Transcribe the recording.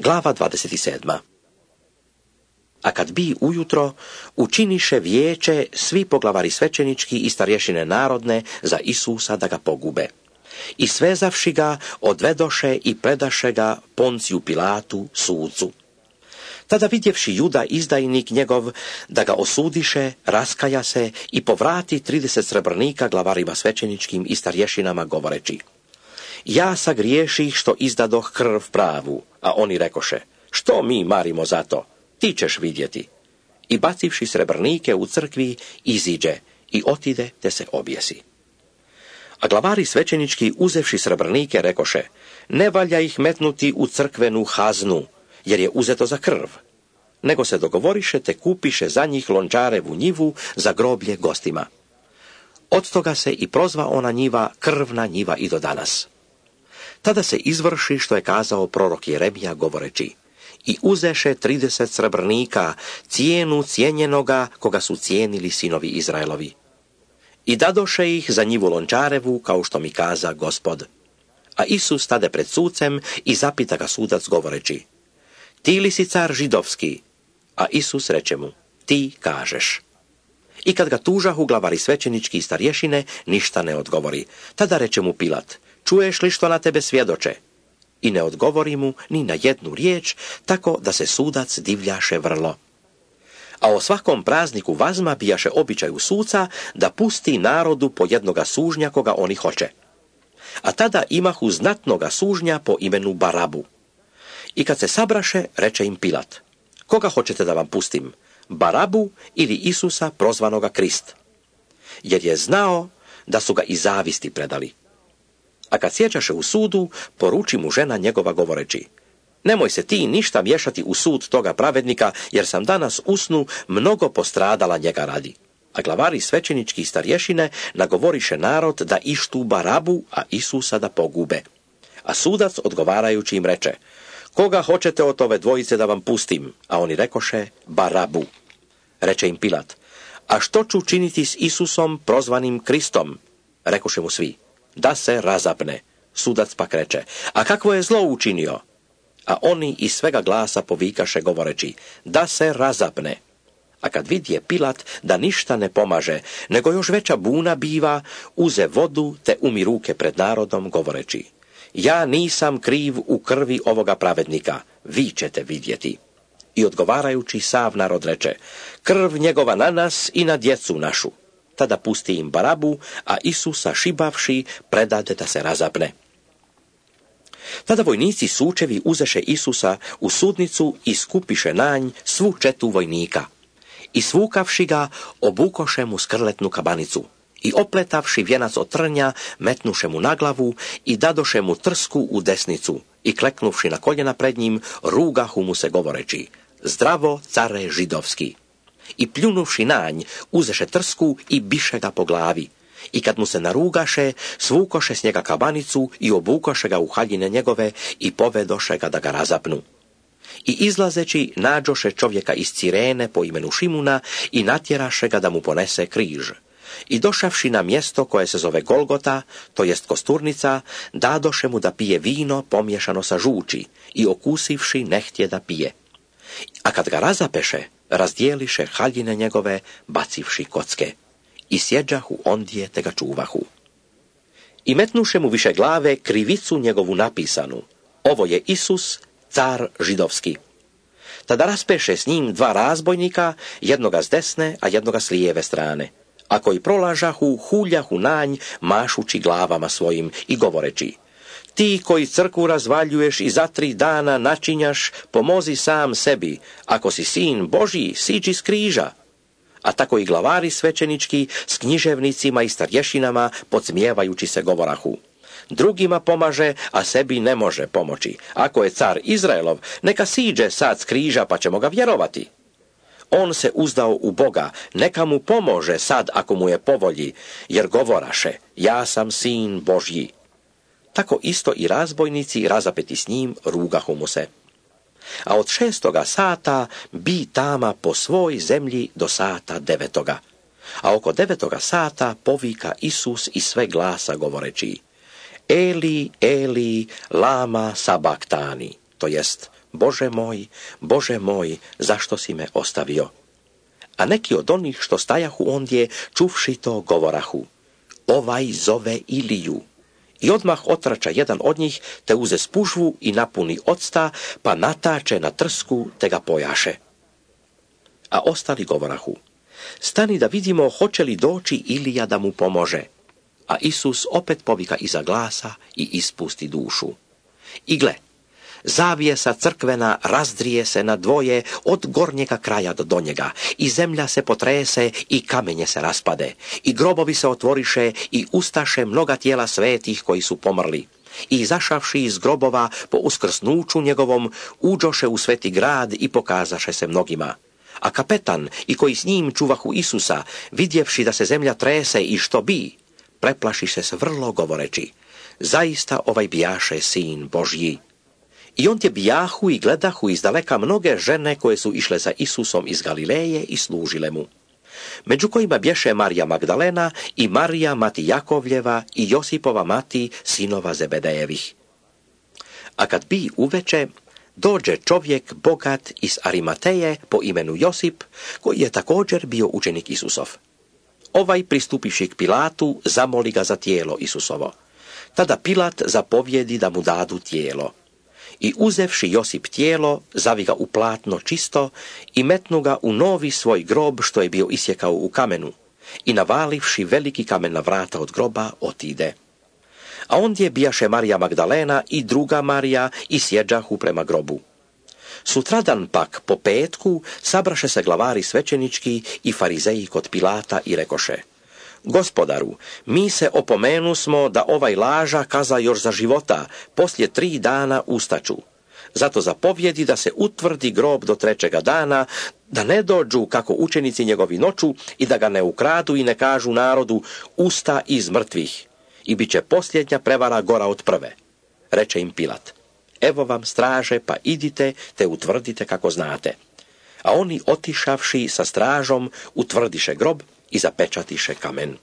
Glava 27. A kad bi ujutro, učiniše vijeće svi poglavari svećenički i starješine narodne za Isusa da ga pogube. I svezavši ga, odvedoše i predaše ga Ponciju Pilatu, sucu. Tada vidjevši Juda izdajnik njegov da ga osudiše, raskaja se i povrati 30 srebrnika glavarima svećeničkim i starješinama govoreći: ja sagriješih što izdadoh krv pravu, a oni rekoše: što mi marimo za to, ti ćeš vidjeti. I bacivši srebrnike u crkvi, iziđe i otide te se objesi. A glavari svećenički, uzevši srebrnike, rekoše: ne valja ih metnuti u crkvenu haznu, jer je uzeto za krv, nego se dogovoriše te kupiše za njih lončarevu njivu za groblje gostima. Od toga se i prozva ona njiva krvna njiva i do danas. Tada se izvrši što je kazao prorok Jeremija govoreći: i uzeše 30 srebrnika, cijenu cijenjenoga koga su cijenili sinovi Izraelovi. I dadoše ih za njivu lončarevu, kao što mi kaza Gospod. A Isus stade pred sucem i zapita ga sudac govoreći: ti li si car židovski? A Isus reče mu: ti kažeš. I kad ga tužahu glavari svećenički i starješine, ništa ne odgovori. Tada reče mu Pilat: čuješ li što na tebe svjedoče? I ne odgovori mu ni na jednu riječ, tako da se sudac divljaše vrlo. A o svakom prazniku vazma bijaše običaju suca da pusti narodu po jednoga sužnja koga oni hoće. A tada imahu znatnoga sužnja po imenu Barabu. I kad se sabraše, reče im Pilat: koga hoćete da vam pustim, Barabu ili Isusa prozvanoga Krist? Jer je znao da su ga iz zavisti predali. A kad sjećaše u sudu, poruči mu žena njegova govoreći: nemoj se ti ništa miješati u sud toga pravednika, jer sam danas u snu mnogo postradala njega radi. A glavari svećenički i starješine nagovoriše narod da ištu Barabu, a Isusa da pogube. A sudac odgovarajući im reče: koga hoćete od ove dvojice da vam pustim? A oni rekoše: Barabu. Reče im Pilat: a što ću činiti s Isusom prozvanim Kristom? Rekoše mu svi: da se razapne. Sudac pak reče: a kakvo je zlo učinio? A oni iz svega glasa povikaše govoreći: da se razapne. A kad vidje Pilat da ništa ne pomaže, nego još veća buna biva, uze vodu te umi ruke pred narodom govoreći: ja nisam kriv u krvi ovoga pravednika, vi ćete vidjeti. I odgovarajući sav narod reče: krv njegova na nas i na djecu našu. Tada pusti im Barabu, a Isusa šibavši predade da se razapne. Tada vojnici sučevi uzeše Isusa u sudnicu i skupiše na nj svu četu vojnika. I svukavši ga, obukoše mu skrletnu kabanicu. I opletavši vjenac od trnja, metnuše mu na glavu i dadoše mu trsku u desnicu. I kleknuvši na koljena pred njim, rugahu mu se govoreći: zdravo, care židovski. I pljunuvši na nj, uzeše trsku i biše ga po glavi. I kad mu se narugaše, svukoše s njega kabanicu i obukoše ga u haljine njegove i povedoše ga da ga razapnu. I izlazeći, nađoše čovjeka iz Cirene po imenu Šimuna i natjeraše ga da mu ponese križ. I došavši na mjesto koje se zove Golgota, to jest kosturnica, dadoše mu da pije vino pomiješano sa žuči i okusivši nehtje da pije. A kad ga razapeše, razdijeliše haljine njegove, bacivši kocke. I sjeđahu ondje te ga čuvahu. I metnuše mu više glave krivicu njegovu napisanu: ovo je Isus, car židovski. Tada raspeše s njim 2 razbojnika, jednoga s desne, a jednoga s lijeve strane. A koji prolažahu, huljahu na nj, mašući glavama svojim i govoreći: ti koji crkvu razvaljuješ i za 3 dana načinjaš, pomozi sam sebi, ako si sin Božji, siđi s križa. A tako i glavari svećenički s književnicima i starješinama podsmijevajući se govorahu: drugima pomaže, a sebi ne može pomoći. Ako je car Izraelov, neka siđe sad s križa pa ćemo ga vjerovati. On se uzdao u Boga, neka mu pomože sad ako mu je po volji, jer govoraše: ja sam sin Božji. Tako isto i razbojnici razapeti s njim rugahu mu se. A od 6. sata bi tama po svoj zemlji do sata 9. A oko 9. sata povika Isus iz sve glasa govoreći: Eli, Eli, lama sabaktani. to jest: Bože môj, zašto si me ostavio? A neki od onih što stajahu ondje, čuvši to, govorahu: Ovaj zove Iliju. I odmah otrača jedan od njih, te uze spužvu i napuni octa, pa natače na trsku, te ga pojaše. A ostali govorahu: Stani da vidimo hoće li doći Ilija da mu pomože. A Isus opet povika iza glasa i ispusti dušu. I gle, zavjesa crkvena razdrije se na dvoje od gornjega kraja do donjega, i zemlja se potrese i kamenje se raspade, i grobovi se otvoriše i ustaše mnoga tijela svetih koji su pomrli. I izašavši iz grobova po uskrsnuću njegovom, uđoše u sveti grad i pokazaše se mnogima. A kapetan i koji s njim čuvahu Isusa, vidjevši da se zemlja trese i što bi, preplašiše se vrlo govoreći: Zaista ovaj bijaše sin Božji. I ondje bijahu i gledahu izdaleka mnoge žene koje su išle za Isusom iz Galileje i služile mu. Među kojima bješe Marija Magdalena i Marija mati Jakovljeva i Josipova mati, sinova Zebedejevih. A kad bi uveče, dođe čovjek bogat iz Arimateje po imenu Josip, koji je također bio učenik Isusov. Ovaj, pristupivši k Pilatu, zamoli ga za tijelo Isusovo. Tada Pilat zapovjedi da mu dadu tijelo. I uzevši Josip tijelo, zavi ga u platno čisto i metnu ga u novi svoj grob što je bio isjekao u kamenu, i navalivši veliki kamen na vrata od groba, otide. A ondje bijaše Marija Magdalena i druga Marija i sjeđahu prema grobu. Sutradan pak, po petku, sabraše se glavari svećenički i farizeji kod Pilata i rekoše: Gospodaru, mi se opomenu smo da ovaj laža kaza još za života, poslije 3 dana ustaću. Zato zapovjedi da se utvrdi grob do 3. dana, da ne dođu kako učenici njegovi noću i da ga ne ukradu i ne kažu narodu: usta iz mrtvih. I bit će posljednja prevara gora od prve. Reče im Pilat: Evo vam straže, pa idite te utvrdite kako znate. A oni, otišavši sa stražom, utvrdiše grob i zapečatiše kamen.